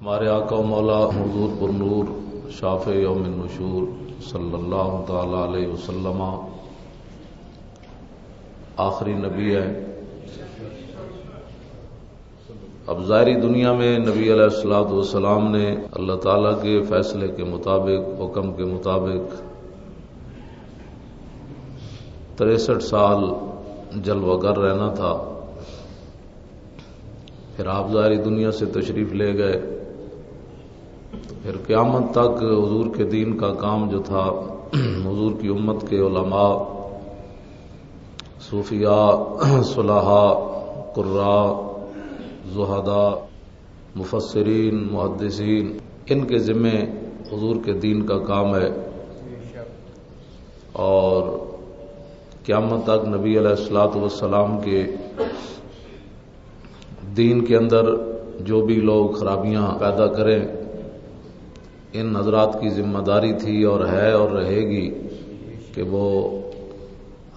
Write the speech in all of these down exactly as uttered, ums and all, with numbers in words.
ہمارے آقا و مولا حضور پر نور، شافع یوم النشور صلی اللہ تعالی علیہ وسلم آخری نبی ہے۔ اب ظاہری دنیا میں نبی علیہ الصلوۃ والسلام نے اللہ تعالیٰ کے فیصلے کے مطابق، حکم کے مطابق تریسٹھ سال جلوہ گر رہنا تھا۔ پھر آپ ظاہری دنیا سے تشریف لے گئے۔ پھر قیامت تک حضور کے دین کا کام جو تھا، حضور کی امت کے علماء، صوفیاء، صلحاء، قراء، زہداء، مفسرین، محدثین، ان کے ذمے حضور کے دین کا کام ہے۔ اور قیامت تک نبی علیہ الصلوۃ والسلام کے دین کے اندر جو بھی لوگ خرابیاں پیدا کریں، ان حضرات کی ذمہ داری تھی اور ہے اور رہے گی کہ وہ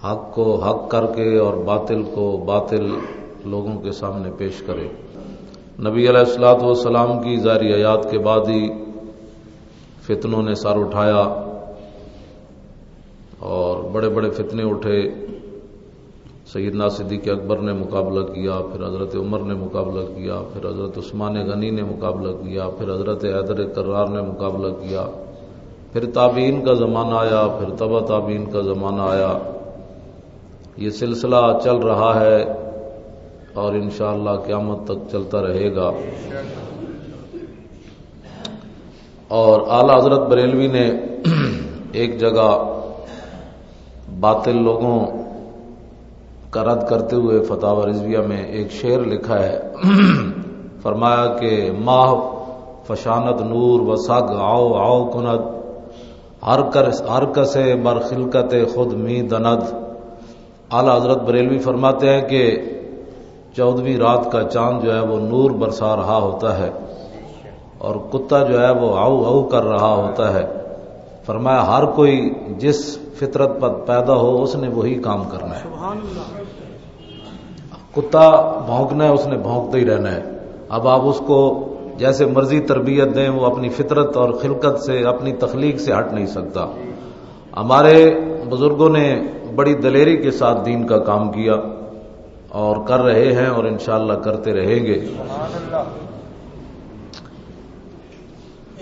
حق کو حق کر کے اور باطل کو باطل لوگوں کے سامنے پیش کرے۔ نبی علیہ الصلوۃ والسلام کی ظاہری حیات کے بعد ہی فتنوں نے سر اٹھایا اور بڑے بڑے فتنے اٹھے۔ سیدنا صدیق اکبر نے مقابلہ کیا، پھر حضرت عمر نے مقابلہ کیا، پھر حضرت عثمان غنی نے مقابلہ کیا، پھر حضرت حیدر کرار نے مقابلہ کیا، پھر تابعین کا زمانہ آیا، پھر تبع تابعین کا زمانہ آیا۔ یہ سلسلہ چل رہا ہے اور انشاءاللہ قیامت تک چلتا رہے گا۔ اور اعلیٰ حضرت بریلوی نے ایک جگہ باطل لوگوں کا رد کرتے ہوئے فتاوی رضویہ میں ایک شعر لکھا ہے، فرمایا کہ ماہ فشاند نور و سگ آؤ آؤ کند، ہر کر-، ہر کسے بر خلقت خود می دند۔ اعلیٰ حضرت بریلوی فرماتے ہیں کہ چودہویں رات کا چاند جو ہے وہ نور برسا رہا ہوتا ہے اور کتا جو ہے وہ ہاؤ ہاؤ کر رہا ہوتا ہے۔ فرمایا، ہر کوئی جس فطرت پر پیدا ہو، اس نے وہی کام کرنا ہے۔ کتا بھونکنا ہے، اس نے بھونکتا ہی رہنا ہے۔ اب آپ اس کو جیسے مرضی تربیت دیں، وہ اپنی فطرت اور خلقت سے، اپنی تخلیق سے ہٹ نہیں سکتا۔ ہمارے بزرگوں نے بڑی دلیری کے ساتھ دین کا کام کیا اور کر رہے ہیں اور انشاءاللہ کرتے رہیں گے۔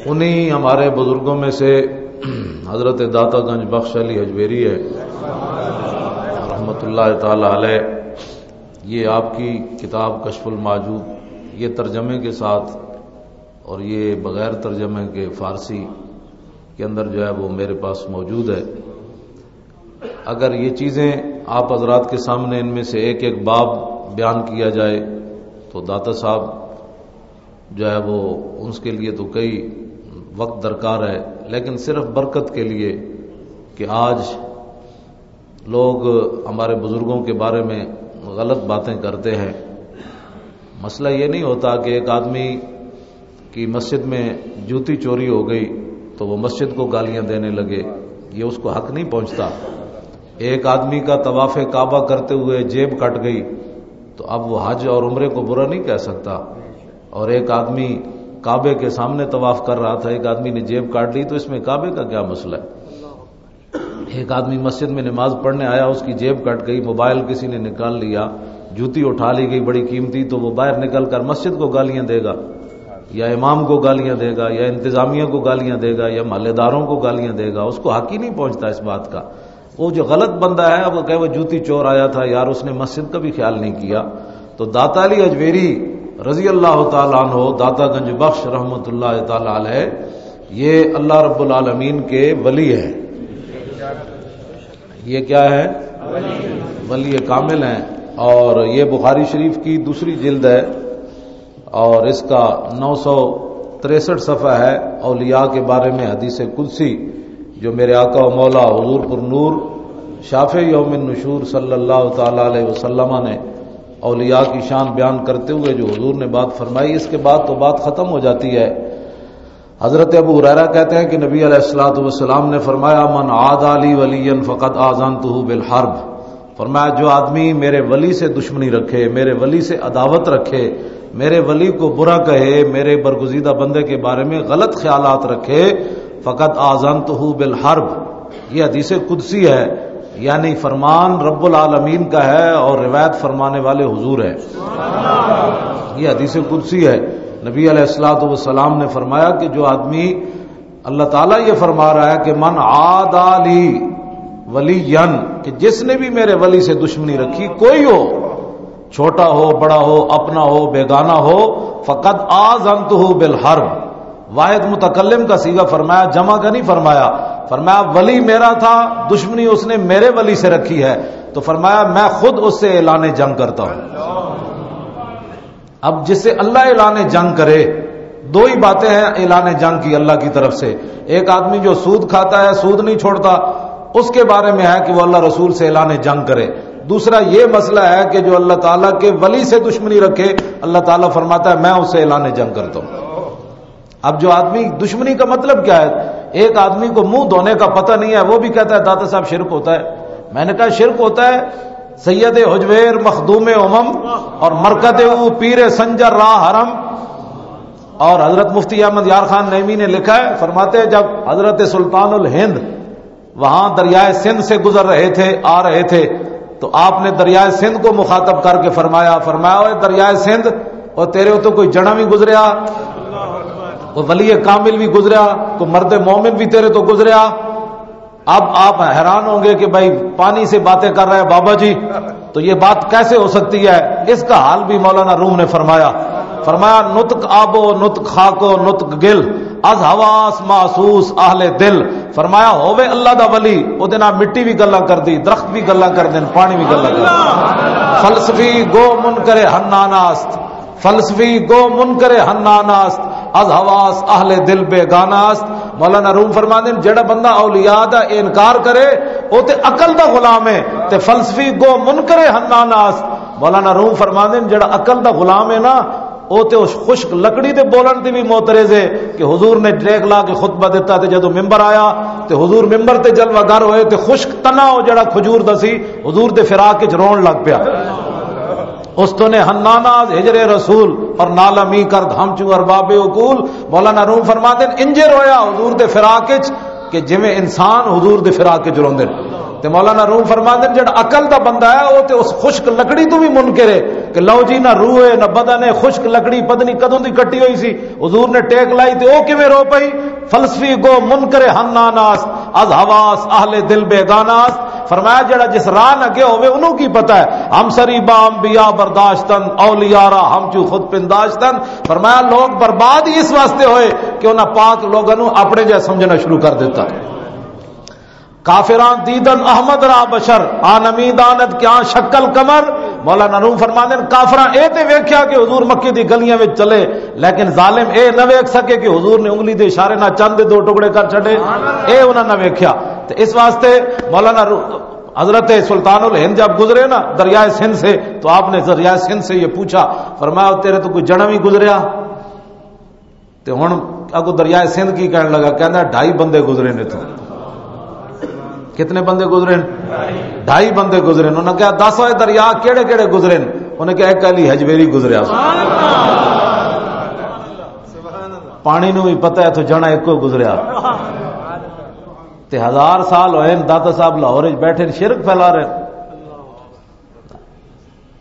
انہی ہمارے بزرگوں میں سے حضرت داتا گنج بخش علی ہجویری ہے، رحمت اللہ تعالی علیہ۔ یہ آپ کی کتاب کشف الموجود، یہ ترجمے کے ساتھ اور یہ بغیر ترجمے کے فارسی کے اندر جو ہے وہ میرے پاس موجود ہے۔ اگر یہ چیزیں آپ حضرات کے سامنے ان میں سے ایک ایک باب بیان کیا جائے تو داتا صاحب جو ہے وہ اس کے لیے تو کئی وقت درکار ہے، لیکن صرف برکت کے لیے کہ آج لوگ ہمارے بزرگوں کے بارے میں غلط باتیں کرتے ہیں۔ مسئلہ یہ نہیں ہوتا کہ ایک آدمی کی مسجد میں جوتی چوری ہو گئی تو وہ مسجد کو گالیاں دینے لگے، یہ اس کو حق نہیں پہنچتا۔ ایک آدمی کا طواف کعبہ کرتے ہوئے جیب کٹ گئی تو اب وہ حج اور عمرے کو برا نہیں کہہ سکتا۔ اور ایک آدمی کعبے کے سامنے طواف کر رہا تھا، ایک آدمی نے جیب کاٹ لی، تو اس میں کعبے کا کیا مسئلہ ہے؟ ایک آدمی مسجد میں نماز پڑھنے آیا، اس کی جیب کٹ گئی، موبائل کسی نے نکال لیا، جوتی اٹھا لی گئی بڑی قیمتی، تو وہ باہر نکل کر مسجد کو گالیاں دے گا یا امام کو گالیاں دے گا یا انتظامیہ کو گالیاں دے گا یا محلے داروں کو گالیاں دے گا؟ اس کو حق ہی نہیں پہنچتا اس بات کا۔ وہ جو غلط بندہ ہے، وہ کہے وہ جوتی چور آیا تھا یار، اس نے مسجد کا بھی خیال نہیں کیا۔ تو داتا علی اجمیری رضی اللہ تعالیٰ عنہ، داتا گنج بخش رحمت اللہ تعالیٰ علیہ، یہ اللہ رب العالمین کے ولی ہیں۔ یہ کیا ہے؟ ولی کامل ہیں۔ اور یہ بخاری شریف کی دوسری جلد ہے اور اس کا نو سو تریسٹھ صفحہ ہے۔ اولیاء کے بارے میں حدیث قدسی جو میرے آقا و مولا حضور پر نور شافع یوم النشور صلی اللہ تعالیٰ علیہ وسلم نے اولیاء کی شان بیان کرتے ہوئے جو حضور نے بات فرمائی، اس کے بعد تو بات ختم ہو جاتی ہے۔ حضرت ابو ہریرہ کہتے ہیں کہ نبی علیہ الصلوۃ والسلام نے فرمایا، من عادى لي وليا فقد آذنته بالحرب۔ فرمایا، جو آدمی میرے ولی سے دشمنی رکھے، میرے ولی سے عداوت رکھے، میرے ولی کو برا کہے، میرے برگزیدہ بندے کے بارے میں غلط خیالات رکھے، فقد آذنتہ بالحرب۔ یہ حدیث قدسی ہے، یعنی فرمان رب العالمین کا ہے اور روایت فرمانے والے حضور ہیں۔ یہ حدیث قدسی ہے۔ نبی علیہ الصلوۃ والسلام نے فرمایا کہ جو آدمی، اللہ تعالیٰ یہ فرما رہا ہے کہ من عادی لی ولیا، کہ جس نے بھی میرے ولی سے دشمنی رکھی، کوئی ہو، چھوٹا ہو، بڑا ہو، اپنا ہو، بیگانہ ہو، فقد آذنتہ بالحرب۔ واحد متکلم کا صیغہ فرمایا، جمع کا نہیں فرمایا۔ فرمایا، ولی میرا تھا، دشمنی اس نے میرے ولی سے رکھی ہے، تو فرمایا، میں خود اس سے اعلان جنگ کرتا ہوں۔ اب جس سے اللہ اعلان جنگ کرے، دو ہی باتیں ہیں اعلان جنگ کی اللہ کی طرف سے۔ ایک آدمی جو سود کھاتا ہے، سود نہیں چھوڑتا، اس کے بارے میں ہے کہ وہ اللہ رسول سے اعلان جنگ کرے۔ دوسرا یہ مسئلہ ہے کہ جو اللہ تعالیٰ کے ولی سے دشمنی رکھے، اللہ تعالیٰ فرماتا ہے، میں اسے اعلان جنگ کرتا ہوں۔ اب جو آدمی، دشمنی کا مطلب کیا ہے؟ ایک آدمی کو منہ دھونے کا پتہ نہیں ہے، وہ بھی کہتا ہے، داتا صاحب، شرک ہوتا ہے۔ میں نے کہا، شرک ہوتا ہے؟ سید حجویر، مخدوم امم اور مرکز او پیر سنجر راہ حرم۔ اور حضرت مفتی احمد یار خان نعیمی نے لکھا ہے، فرماتے ہیں، جب حضرت سلطان الہند وہاں دریائے سندھ سے گزر رہے تھے، آ رہے تھے، تو آپ نے دریائے سندھ کو مخاطب کر کے فرمایا، فرمایا، "اوے دریائے سندھ، او تیرے تو کوئی جنا بھی گزریا، کوئی ولی کامل بھی گزریا، کوئی مرد مومن بھی تیرے تو گزریا؟" اب آپ حیران ہوں گے کہ بھائی، پانی سے باتیں کر رہا ہے بابا جی، تو یہ بات کیسے ہو سکتی ہے؟ اس کا حال بھی مولانا روم نے فرمایا۔ فرمایا، "نطق آب و نطق خاک و نطق گل، از حواس محسوس اہل دل۔" فرمایا، ہووے اللہ دا ولی، او دے نال مٹی بھی گلاں کردی، درخت بھی گلاں کردے نے، پانی بھی گلاں کردے۔ فلسفی گو منکر حنان است، فلسفی گو منکر حنان است، از حواس اہل دل بیگانہ است۔ مولانا روم فرماندے نے، جڑا بندہ اولیاء دا انکار کرے، او تے عقل دا غلام ہے، تے فلسفی گو منکر حنان است۔ مولانا روم فرماندے نے، جڑا عقل دا غلام ہے نا، او تے اس خشک لکڑی دے بولن دی بھی معترض ہے کہ حضور نے ٹریک لا کے خطبہ دتا تے جدوں ممبر آیا تے حضور ممبر تے جلوہ گر ہوئے تے خشک تنا او جڑا کھجور دا سی، حضور دے فراق وچ رون لگ پیا۔ اس تو نے حنانا از ہجر رسول اور نالہ می کرد ہم چوں ارباب عقول۔ مولانا روم فرماندے نے، انجے رویا حضور دے فراق وچ کہ جویں انسان حضور دے فراق وچ روندے نے۔ تے مولانا روم فرماندے نے، جڑا عقل دا بندہ ہے، او تے اس خشک لکڑی تو بھی منکر ہے کہ لو جی، نہ روح ہے، نہ بدن ہے، خشک لکڑی پتہ نہیں کدوں دی کٹی ہوئی سی، حضور نے ٹیک لائی تے او کیویں رو پئی؟ فلسفی گو منکر حناناست، از حواس اہل دل بیگاناست۔ فرمایا، جڑا جس راہ نہ گیا ہوئے، انہوں کی پتہ ہے؟ ہم سری با انبیاء برداشتن، اولیاء را ہم چو خود پنداشتن۔ فرمایا، لوگ برباد ہی اس واسطے ہوئے کہ انہاں پاک لوگاں نوں اپنے جہا سمجھنا شروع کر دیتا۔ کافراں دیدن احمد را بشر، آ نمی داند کیا شکل قمر۔ مولانا روم فرماندے نے، کافراں اے تے ویکھیا کہ حضور مکے دی گلیاں وچ چلے، لیکن ظالم اے نہ ویکھ سکے کہ حضور نے انگلی دے اشارے نال چند دے دو ٹکڑے کر چھڈے، اے انہاں نہ ویکھیا۔ تے اس واسطے مولانا رو-، حضرت سلطان الہند جب گزرے نا دریائے سندھ سے، تو آپ نے دریائے سندھ سے یہ پوچھا، فرمایا، "تیرے تو کوئی جنا بھی گزریا؟" تے ہن اگوں دریائے سندھ کی کہن لگا، کہندا، "ڈھائی بندے گزرے نے تو۔" کتنے بندے گزرے نے؟ ڈھائی بندے گزرے نے۔ انہاں کہا، "دس، اوے دریا کیڑے کیڑے گزرے نے؟" انہاں کہا، "ایک علی حجویری گزریا۔" پانی نو بھی پتہ ہے تو جنا ایک کو گزریا۔ تے ہزار سال ہوئے نے، داتا صاحب لاہور وچ بیٹھے نے، شرک پھیلا رہے نے۔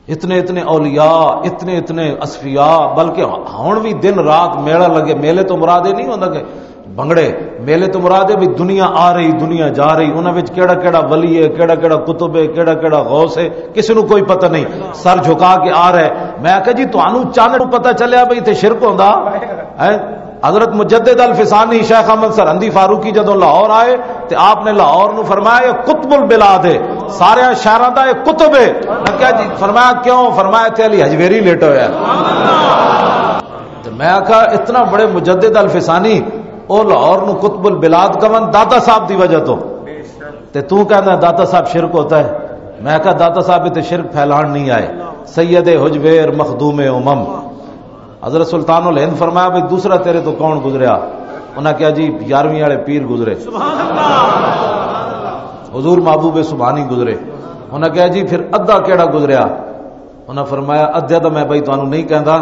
اتنے اتنے اولیاء، اتنے اتنے اصفیاء، بلکہ ہن بھی دن رات میلہ لگے۔ میلے تو مراد یہ نہیں ہوندا کہ بھنگڑے، میلے تو مراد ہے بھی دنیا آ رہی، دنیا جا رہی، انہاں وچ کیڑا کیڑا ولی ہے، کیڑا کیڑا قطب ہے، کیڑا کیڑا غوث ہے، کسی نو کوئی پتہ نہیں، سر جھکا کے آ رہا ہے۔ میں آکھیا، "جی، تانوں چند نو پتہ چلیا بھئی اتھے شرک ہوندا ہے؟" حضرت مجدد الفسانی شیخ احمد سرہندی فاروقی جدوں لاہور آئے تے آپ نے لاہور نو فرمایا، "یہ قطب البلاد ہے، سارے شہراں دا یہ قطب ہے۔" میں کہا، "جی۔" فرمایا، "کیوں؟" فرمایا، "اتھے علی حجویری لیٹا ہویا ہے۔" تے میں آکھا، "اتنا بڑے مجدد الفسانی، او لاہور نو قطب البلاد کون؟ داتا صاحب دی وجہ تو۔ تے تو کہنا داتا صاحب شرک ہوتا ہے؟" میں آکھا، "داتا صاحب تے شرک پھیلان نہیں آئے، سید حجویر مخدوم امم۔" حضرت سلطان الہند فرمایا، "بھئی، دوسرا تیرے تو کون گزریا؟" انہاں کہا، "جی، یارویں والے پیر گزرے۔" حضور محبوب سبحانی گزرے۔ انہاں کہا، "جی، پھر ادھا کیڑا گزریا؟" انہاں فرمایا، "ادھا تو میں بھائی تانوں نہیں کہندا،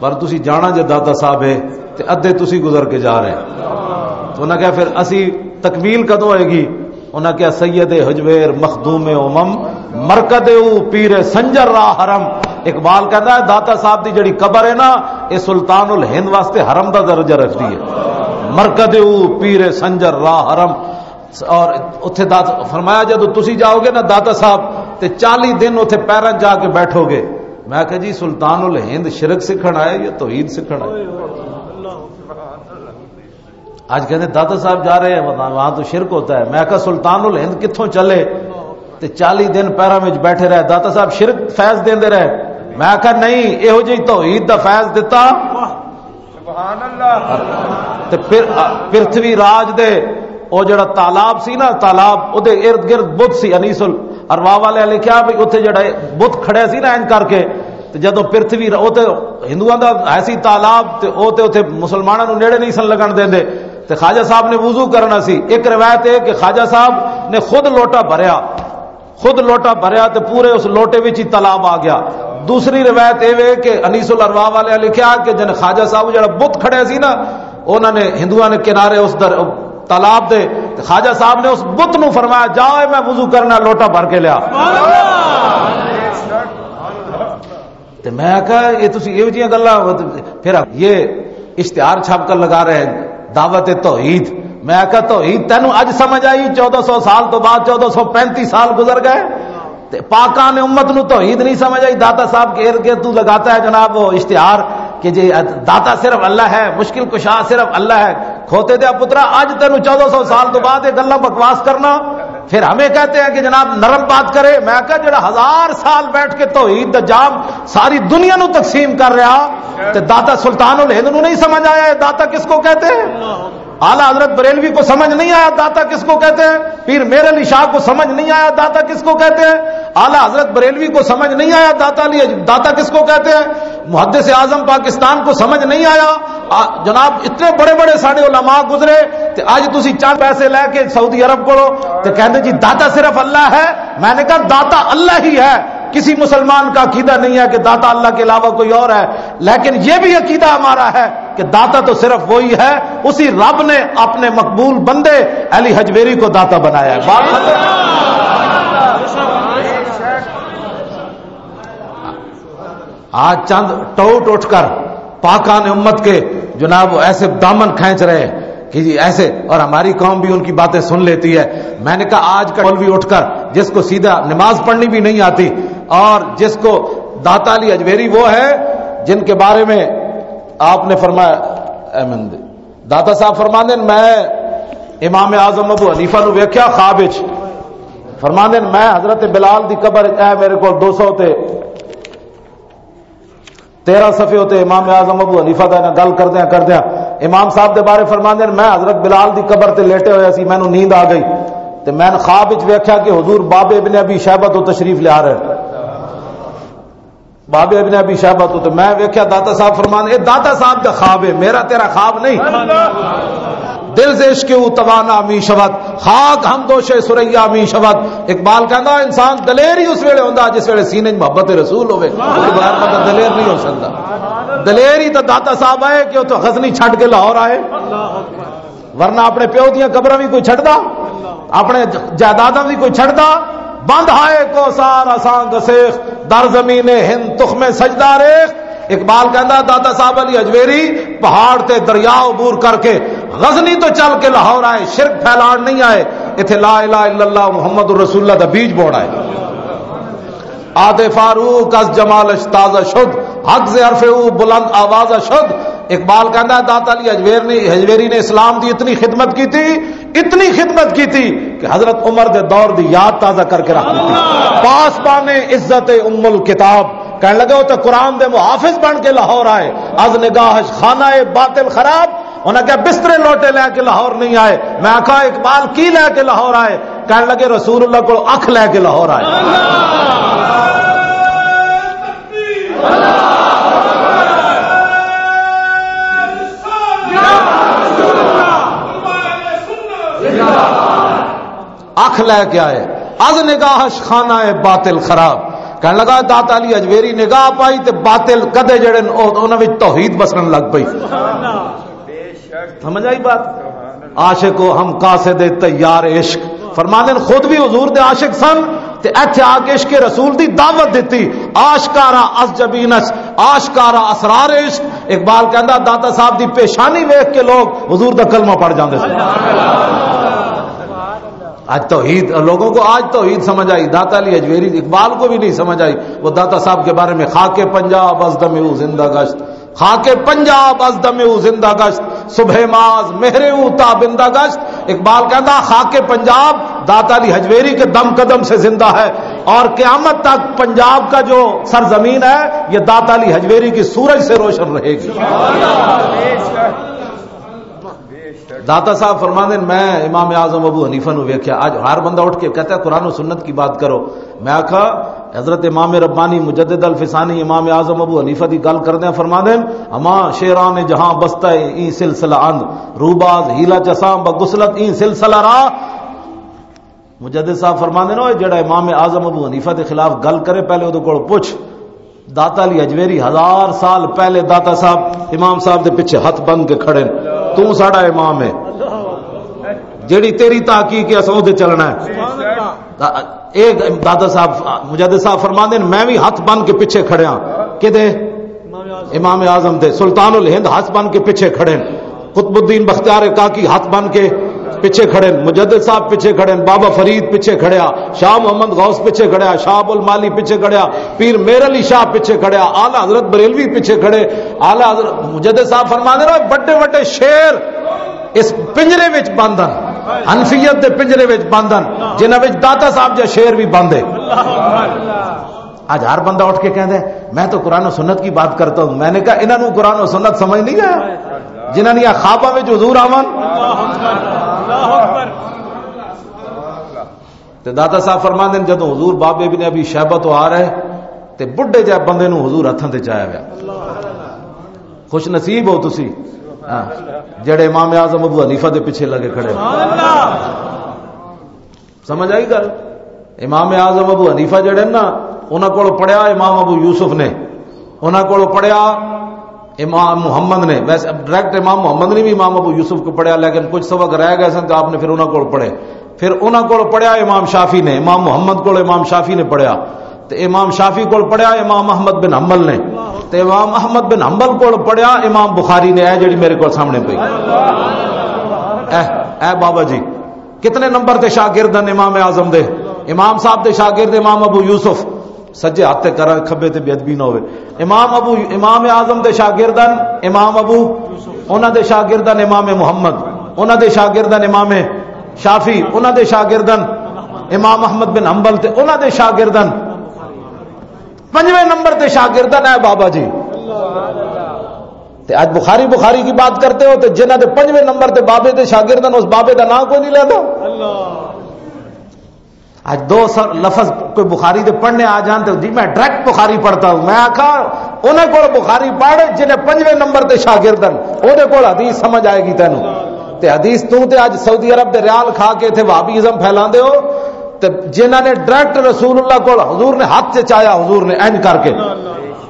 پر تسی جانا جے داتا صاحب ہے، تے ادھے تسی گزر کے جا رہے ہیں۔ تو انہاں کہا، "پھر اسی تکمیل کدوں ہوئے گی؟" انہاں کہا، "سید حجویر مخدوم امم، مرکد او پیر سنجر راہ حرم۔" اقبال کہتا ہے، داتا صاحب دی جڑی قبر ہے نا، اے سلطان الہند واسطے حرم دا درجہ رکھدی ہے۔ مرکد او پیر سنجر راہ حرم۔ اور اتھے دات-، فرمایا، "جدوں تسی جاؤ گے نا داتا صاحب، تے چالی دن اتھے پیراں جا کے بیٹھو گے۔" میں کہا، "جی، سلطان الہند شرک سکھن آئے یا توحید سکھن آئے؟" آج کہتے ہیں، "داتا صاحب جا رہے ہیں وہاں، وہاں تو شرک ہوتا ہے۔" میں کہا، "سلطان الہند کتھوں چلے تے چالی دن پیراں وچ بیٹھے رہے، داتا صاحب شرک فیض دیندے رہے؟" میں کہا، "نہیں، ایہو جہی توحید دا فیض دتا۔" تے پھر پرتھوی راج دے او جڑا تالاب سی نا، تالاب، او دے ارد گرد بت سی۔ انیس الارواح والے لکھیا بھی اتھے جڑا بت کھڑے سی نا، انج کر کے، تے جدوں پرتھوی را-، او تے ہندوؤں دا ایسی تالاب، تے او تے اتھے مسلماناں نوں نیڑے نہیں سن لگن دیندے۔ تے خواجہ صاحب نے وضو کرنا سی۔ ایک روایت ہے کہ خواجہ صاحب نے خود لوٹا بھریا، خود لوٹا بھریا تے پورے اس لوٹے وچ ہی تالاب آ گیا۔ دوسری روایت اے وے کہ انیس الارواح والے لکھیا کہ جن خواجہ صاحب جڑا بت کھڑے سی نا، انہاں نے، ہندوؤں نے کنارے اس در-، تالاب دے، تے خواجہ صاحب نے اس بت نو فرمایا، "جا، اے میں وضو کرنا، لوٹا بھر کے لیا۔" تے میں کہا، "یہ تسی ایہو جیاں گلاں۔" پھر یہ اشتہار چھاپ کر لگا رہے ہیں، "دعوت توحید۔" میں کہا، "توحید تینوں اج سمجھ آئی؟ چودہ سو سال تو بعد، چودہ سو پینتی سال گزر گئے، تے پاکان امت نو توحید نہیں سمجھ آئی؟" داتا صاحب کے ارد گرد تو لگاتا ہے جناب وہ اشتہار کہ جی داتا صرف اللہ ہے، مشکل کشا صرف اللہ ہے۔ کھوتے دیا پترا، اج تینوں چودہ سو سال تو بعد یہ گلاں بکواس کرنا، پھر ہمیں کہتے ہیں کہ جناب نرم بات کرے۔ میں کہا، جڑا ہزار سال بیٹھ کے توحید دا جام ساری دنیا نو تقسیم کر رہا، تے داتا سلطان الہند نو نہیں سمجھ آیا، یہ داتا کس کو کہتے ہیں؟ اعلیٰ حضرت بریلوی کو سمجھ نہیں آیا داتا کس کو کہتے ہیں؟ پیر میر علی شاہ کو سمجھ نہیں آیا داتا کس کو کہتے ہیں؟ اعلیٰ حضرت بریلوی کو سمجھ نہیں آیا داتا علی، داتا کس کو کہتے ہیں؟ محدث اعظم پاکستان کو سمجھ نہیں آیا۔ آ، جناب، اتنے بڑے بڑے ساڈے علماء گزرے، تے اج تسی چند پیسے لے کے سعودی عرب کولو تے کہندے، "جی، داتا صرف اللہ ہے۔" میں نے کہا، "داتا اللہ ہی ہے، کسی مسلمان کا عقیدہ نہیں ہے کہ داتا اللہ کے علاوہ کوئی اور ہے، لیکن یہ بھی عقیدہ ہمارا ہے کہ داتا تو صرف وہی ہے۔" اسی رب نے اپنے مقبول بندے علی حجویری کو داتا بنایا ہے۔ بات ختم۔ آج چند ٹوٹ اٹھ کر پاکان امت کے جناب ایسے دامن کھینچ رہے کہ جی ایسے، اور ہماری قوم بھی ان کی باتیں سن لیتی ہے۔ میں نے کہا، آج کا مولوی اٹھ کر جس کو سیدھا نماز پڑھنی بھی نہیں آتی اور جس کو، داتا علی اجمیری وہ ہے جن کے بارے میں آپ نے فرمایا، اے مندے، داتا صاحب فرماندے نے، میں امام اعظم ابو حنیفہ نو ویکھیا خواب وچ، فرماندے نے، میں حضرت بلال دی قبر، اے میرے کول دو سو تے تیرہ صفحے ہوتے، امام اعظم ابو حنیفہ دا نال گل کردیاں کردیاں امام صاحب دے بارے فرماندے نے، میں حضرت بلال دی قبر تے لیٹے ہویا سی، مینوں نیند آ گئی تے میں خواب وچ ویکھیا کہ حضور باب ابن ابی شیبہ تو تشریف لیا رہے۔ باب ابن ابی شیبہ تو، تے میں ویکھیا داتا صاحب فرمان، اے داتا صاحب دا خواب ہے، میرا تیرا خواب نہیں۔ دل ز عشق او توانا می شود، خاک ہم دوش ثریا می شود۔ اقبال کہندا، انسان دلیر ہی اس ویلے ہوندا جس ویلے سینے 'چ محبت رسول ہوے۔ اس بغیر بندہ دلیر نہیں ہو سکدا۔ دلیر ہی تو داتا صاحب آئے کہ اتھوں غزنی چھڈ کے لاہور آئے، ورنہ اپنے پیو دیاں قبراں بھی کوئی چھڈدا، اپنے جائیداداں بھی کوئی چھڈدا۔ بند ہائے کو سار اساں گسیخ، در زمین ہند تخم سجدہ ریخ۔ اقبال کہندا، داتا صاحب علی اجویری پہاڑ تے دریا عبور کر کے غزنی تو چل کے لاہور آئے، شرک پھیلان نہیں آئے، ایتھے لا الہ الا اللہ محمد رسول اللہ دا بیج بوڑ آئے۔ آتے فاروق از جمالش تازہ شد، حق ز عرف او بلند آوازہ شد۔ اقبال کہندا ہے، داتا علی اجویر نے، اجویری نے اسلام دی اتنی خدمت کی تھی، اتنی خدمت کی تھی کہ حضرت عمر دے دور دی یاد تازہ کر کے رکھ دی تھی۔ پاسبان عزت ام الکتاب کہنے لگے، وہ تو قرآن دے محافظ بن کے لاہور آئے۔ از نگاہش خانہ باطل خراب، انہاں کہا، بسترے لوٹے لے کے لاہور نہیں آئے۔ میں آکھا، اقبال کی لے کے لاہور آئے؟ کہنے لگے، رسول اللہ کو اکھ لے کے لاہور آئے۔ اکھ لے کے آئے۔ از نگاہش خانہ باطل خراب۔ کہن لگا، داتا علی اجمیری نگاہ پائی تے باطل کدے جڑے نے، او انہاں وچ توحید بسن لگ پئی۔ سمجھ آئی بات؟ عاشق و ہم قاصد تیار عشق۔ فرماندے نے خود بھی حضور دے عاشق سن تے ایتھے آ کے عشق رسول دی دعوت دتی۔ آشکارا از جبینش، آشکارا اسرار عشق۔ اقبال کہندا، داتا صاحب دی پیشانی ویکھ کے لوگ حضور دا کلمہ پڑھ جاندے سن۔ آج توحید، لوگوں کو آج توحید سمجھ آئی۔ داتا علی اجمیری اقبال کو بھی نہیں سمجھ آئی۔ وہ داتا صاحب کے بارے میں، خاک پنجاب از دم او زندہ گشت، خاک پنجاب از دم او زندہ گشت، صبح ماز مہر او تابندہ گشت۔ اقبال کہتا، خاک پنجاب داتا علی حجویری کے دم قدم سے زندہ ہے، اور قیامت تک پنجاب کا جو سرزمین ہے، یہ داتا علی حجویری کی سورج سے روشن رہے گی۔ داتا صاحب فرماندے نے، میں امام اعظم ابو حنیفہ نو ویکھیا۔ اج ہر بندہ اٹھ کے کہتا ہے، قرآن و سنت کی بات کرو۔ میں آکھا، حضرت امام ربانی مجدد الفسانی امام اعظم ابو حنیفہ دی گل کردے فرماندے نے، ہما شیران جہاں بستہ این سلسلہ اند، روباز ہیلا چساں بغسلت این سلسلہ را۔ مجدد صاحب فرماندے نے، او جڑا امام اعظم ابو حنیفہ دے خلاف گل کرے، پہلے اودے کول پوچھ۔ داتا علی اجویری ہزار سال پہلے داتا صاحب، امام صاحب دے پیچھے ہاتھ بن کے کھڑے نے۔ تو ساڈا امام ہے، جیڑی تیری تحقیق ہے، اساں اودے چلنا ہے۔ دا-، اے داتا صاحب، مجدد صاحب فرماندے نے، میں بھی ہاتھ بن کے پیچھے کھڑیا۔ کدے؟ امام اعظم دے۔ سلطان الہند ہاتھ بن کے پیچھے کھڑے نے۔ قطب الدین بختیار کاکی ہاتھ بن کے پیچھے کھڑے نے، مجدد صاحب پیچھے کھڑے نے، بابا فرید پیچھے کھڑیا، شاہ محمد غوث پیچھے کھڑیا، شاہ ابو المالی پیچھے کھڑیا، پیر میر علی شاہ پیچھے کھڑیا، اعلی حضرت بریلوی پیچھے کھڑے۔ اعلی حضرت مجدد صاحب فرماندے نے، بڑے بڑے شیر اس پنجرے وچ بند ہن، حنفیت دے پنجرے وچ بند ہن، جنہاں وچ داتا صاحب جا شیر بھی بند ہے۔ آج ہر بندہ اٹھ کے کہندا ہے، میں تو قرآن و سنت کی بات کرتا ہوں۔ میں نے کہا، انہاں نوں قرآن و سنت سمجھ نہیں آیا، جنہاں نے خواباں وچ حضور آون۔ تے داتا صاحب فرماندے نے، جدوں حضور بابے ابن ابی شیبہ تو آ رہے، تے بڈھے جے بندے نوں حضور ہتھاں تے چایا گیا۔ خوش نصیب ہو تسی، ہاں، جڑے امام اعظم ابو حنیفہ دے پیچھے لگے کھڑے۔ سمجھ آئی گل؟ امام اعظم ابو حنیفہ جڑے نا، انہاں کول پڑھیا امام ابو یوسف نے، انہاں کول پڑھیا امام محمد نے۔ ویسے ڈائریکٹ امام محمد نے بھی امام ابو یوسف کو پڑھیا، لیکن کچھ سبق رہ گئے سن تو آپ نے پھر انہاں کول پڑھے۔ پھر انہاں کول پڑھیا امام شافعی نے، امام محمد کول امام شافعی نے پڑھیا، تے امام شافعی کول پڑھیا امام احمد بن حنبل نے، تے امام احمد بن حنبل کول پڑھیا امام بخاری نے۔ اے جڑی میرے کول سامنے پئی، اے، اے بابا جی، کتنے نمبر تے شاگرد ہیں امام اعظم دے؟ امام صاحب دے شاگرد امام ابو یوسف، سجے ہاتھ تے کراں، کھبے تے بے ادبی نہ ہوے۔ امام ابو، امام اعظم دے شاگرد ہیں امام ابو، انہاں دے شاگرد ہیں امام محمد، انہاں دے شاگرد ہیں امام شافعی، انہاں دے شاگرد ہیں امام احمد بن حنبل، تے انہاں دے شاگرد ہیں پنجویں نمبر تے شاگرد ہیں اے بابا جی۔ تے اج بخاری، بخاری کی بات کرتے ہو، تے جنہاں دے پنجویں نمبر تے بابے دے شاگرد ہیں، اس بابے دا نام کوئی نہیں لیتا۔ اج دو سر لفظ کوئی بخاری دے پڑھنے آ جان، تے جی میں ڈائریکٹ بخاری پڑھتا ہوں۔ میں آکھا، انہیں کول بخاری پڑھ جنہیں پنجویں نمبر تے شاگرد ہیں، اوہدے کول حدیث سمجھ آئے گی تینوں۔ تے حدیث توں تے اج سعودی عرب دے ریال کھا کے اتھے وہابی ازم پھیلاندے ہو، تے جنہاں نے ڈائریکٹ رسول اللہ کول، حضور نے ہاتھ چ چایا، حضور نے اینج کر کے۔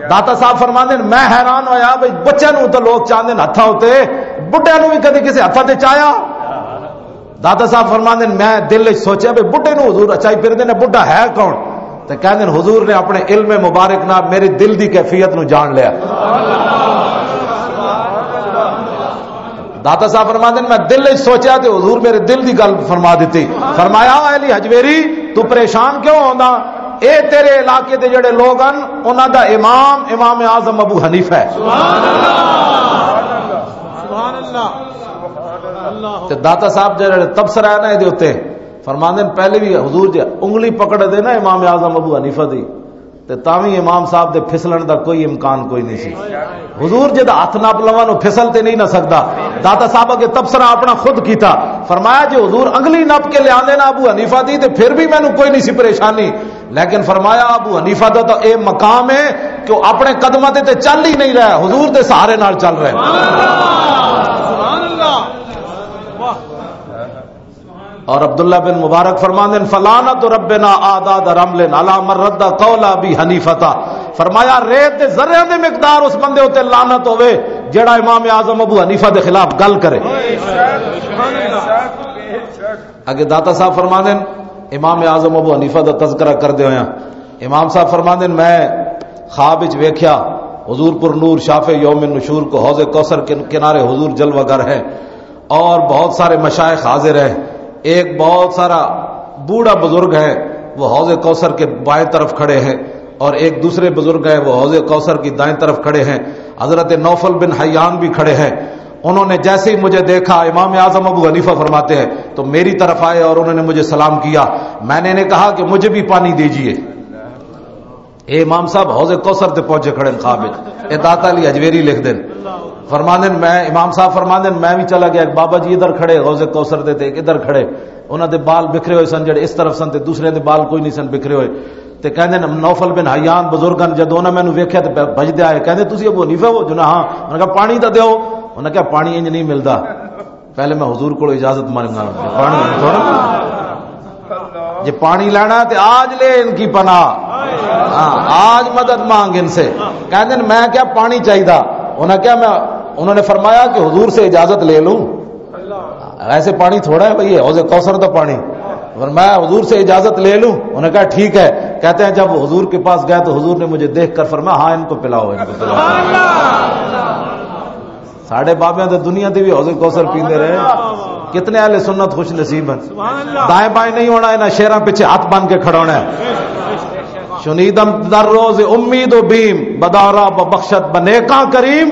داتا صاحب فرماندے نے، میں حیران ہویا بھئی، بچے نوں تو لوگ چاہندے نے ہتھاں اتے، بڈھے نوں بھی کدی کسے ہتھاں تے چایا؟ داتا صاحب فرماندے نے، میں دل وچ سوچیا بھئی بڈھے نوں حضور اچائی پھردے نے، بڈھا ہے کون؟ تے کہندے نے، حضور نے اپنے علم مبارک نال میرے دل دی کیفیت نوں جان لیا۔ داتا صاحب فرماندے نے، میں دل وچ سوچیا تے حضور میرے دل دی گل فرما دتی۔ فرمایا، "اے علی حجویری، تو پریشان کیوں ہوندا؟ اے تیرے علاقے دے جڑے لوگ ہن، انہاں دا امام، امام اعظم ابو حنیفہ ہے۔" سبحان اللہ۔ تے داتا صاحب جڑے تبصرہ ہے نا، اے دے اُتے فرماندے نے، پہلے بھی حضور جے انگلی پکڑ دے نا امام اعظم ابو حنیفہ دی، تے تاں وی امام صاحب دے پھسلن دا کوئی امکان کوئی نہیں سی۔ حضور جے دا ہاتھ نپ لواں، او پھسل تے نہیں نہ سکدا۔ داتا صاحب اگے تبصرہ اپنا خود کیتا، فرمایا، جے حضور انگلی نپ کے لے آندے نا ابو حنیفہ دی، تے پھر بھی مینوں کوئی نہیں سی پریشانی۔ لیکن فرمایا، ابو حنیفہ دا تو اے مقام ہے کہ وہ اپنے قدماں تے، تے چل ہی نہیں رہا، حضور دے سہارے نال چل رہا ہے۔ سبحان اللہ۔ اور عبداللہ بن مبارک فرماندے ہیں، "فلعنت ربنا اعداد رمل علی من رد قول ابی حنیفہ تھا۔" فرمایا، "ریت دے ذریاں دے مقدار اس بندے اُتے لعنت ہوے جڑا امام اعظم ابو حنیفہ دے خلاف گل کرے۔" اگے داتا صاحب فرماندے ہیں، امام اعظم ابو حنیفہ دا تذکرہ کردے ہوئے ہیں، امام صاحب فرماندے ہیں، "میں خواب وچ ویکھیا حضور پر نور شافع یوم نشور کو حوض کوثر کے کنارے حضور جلوہ گر ہے۔" اور بہت سارے مشائخ حاضر ہیں۔ ایک بہت سارا بوڑھا بزرگ ہے، وہ حوض کوثر کے بائیں طرف کھڑے ہیں، اور ایک دوسرے بزرگ ہیں، وہ حوض کوثر کی دائیں طرف کھڑے ہیں۔ حضرت نوفل بن حیان بھی کھڑے ہیں۔ انہوں نے جیسے ہی مجھے دیکھا، امام اعظم ابو حنیفہ فرماتے ہیں، تو میری طرف آئے اور انہوں نے مجھے سلام کیا۔ میں نے انہیں کہا کہ مجھے بھی پانی دیجیے۔ اے امام صاحب حوض کوثر تے پہنچے کھڑے ہیں خواب وچ۔ اے داتا علی حجویری لکھ دین۔ فرماندن، میں، امام صاحب فرماندن، میں بھی چلا گیا، ایک بابا جی ادھر کھڑے حوض کوثر دے تے ایک ادھر کھڑے۔ انہاں دے بال بکھرے ہوئے سن، جڑے اس طرف سن تے دوسرے دے بال کوئی نہیں سن بکھرے ہوئے۔ تے کہندے نے، نوفل بن حیان بزرگن جدوں انہاں مینوں ویکھیا تے ب-، بھجدے آئے، کہندے، "تسی ابو حنیفہ ہو؟" جو نا، ہاں۔ انہاں کہا، "پانی تاں دیو۔" انہاں کہا، "پانی انج نہیں ملدا۔" پہلے میں حضور کو اجازت مانگنا، پانی تھوڑا۔ جے پانی لینا تے آج لے ان کی پناہ۔ ہاں، آج مدد مانگ ان سے۔ کہندے نے، "میں کیا پانی چاہیدا؟" انہاں کیا میں، انہوں نے فرمایا کہ حضور سے اجازت لے لوں؟ ایسے پانی تھوڑا ہے بھائی، حوض کوثر دا پانی۔ فرمایا، "حضور سے اجازت لے لوں؟" انہوں نے کہا، "ٹھیک ہے۔" کہتے ہیں، جب حضور کے پاس گئے تو حضور نے مجھے دیکھ کر فرمایا، "ہاں، ان کو پلاؤ، ان کو پلاؤ۔" ساڈے بابیاں تے دنیا تے بھی حوض کوثر پیندے رہے۔ کتنے اہل سنت خوش نصیب ہیں۔ دائیں بائیں نہیں ہونا، انہاں شیراں پیچھے ہاتھ بن کے کھڑا ہونا ہے۔ "شنیدم در روز امید و بیم، بدارا ببخشت بنیکاں کریم۔"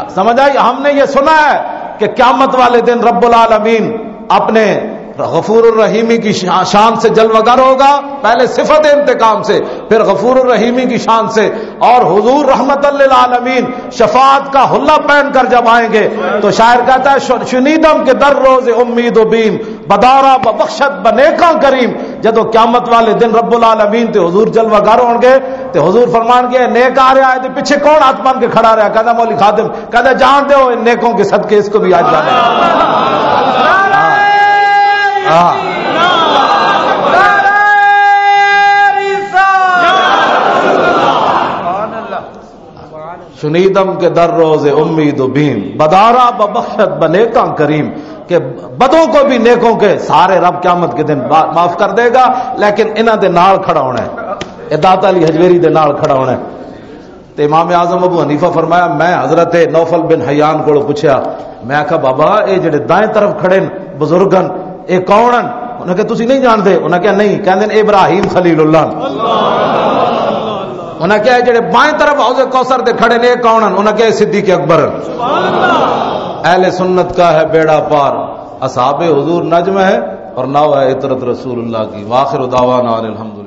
سمجھ آئی؟ ہم نے یہ سنا ہے کہ قیامت والے دن رب العالمین اپنے غفور الرحیمی کی شا-، شان سے جلوہ گر ہوگا، پہلے صفت انتقام سے، پھر غفور الرحیمی کی شان سے، اور حضور رحمت للعالمین شفاعت کا حلہ پہن کر جب آئیں گے تو شاعر کہتا ہے، "ش-، شنیدم کے در روز امید و بیم، بدارا ببخشت بنیکاں کریم۔" جدوں قیامت والے دن رب العالمین تے حضور جلوہ گر ہون گے تے حضور فرمان گے، "نیک آ رہا ہے، تے پیچھے کون ہاتھ بن کے کھڑا رہا؟" کہتا، "مولی خادم۔" کہتا، "جان دے، ان نیکوں کے صدقے اس کو بھی آج جانا ہے۔" ہاں۔ شنیدم کے در روز امید و بیم، بدارا ببخشت بنیکاں کریم، کہ بدوں کو بھی نیکوں کے سارے رب قیامت کے دن با-، معاف کر دے گا، لیکن انہاں دے نال کھڑا ہونا ہے۔ اے داتا علی حجویری دے نال کھڑا ہونا ہے۔ تے امام اعظم ابو حنیفہ فرمایا، میں حضرت نوفل بن حیان کولوں پوچھیا، میں آکھا، "بابا، اے جڑے دائیں طرف کھڑے نے بزرگن، اے کون ہیں؟" انہاں کہا، "تسی نہیں جانتے؟" انہاں کہا، "نہیں۔" کہندے نے، "ابراہیم خلیل اللہ نے۔" انہاں کہا، "اے جڑے بائیں طرف حوض کوثر تے کھڑے نے، اے کون ہیں؟" انہاں کہا، "اے صدیق اکبر ہیں۔" اہل سنت کا ہے بیڑا پار، اصحاب حضور نجم ہے اور ناؤ ہے عترت رسول اللہ کی۔ وآخر دعوانا ان الحمد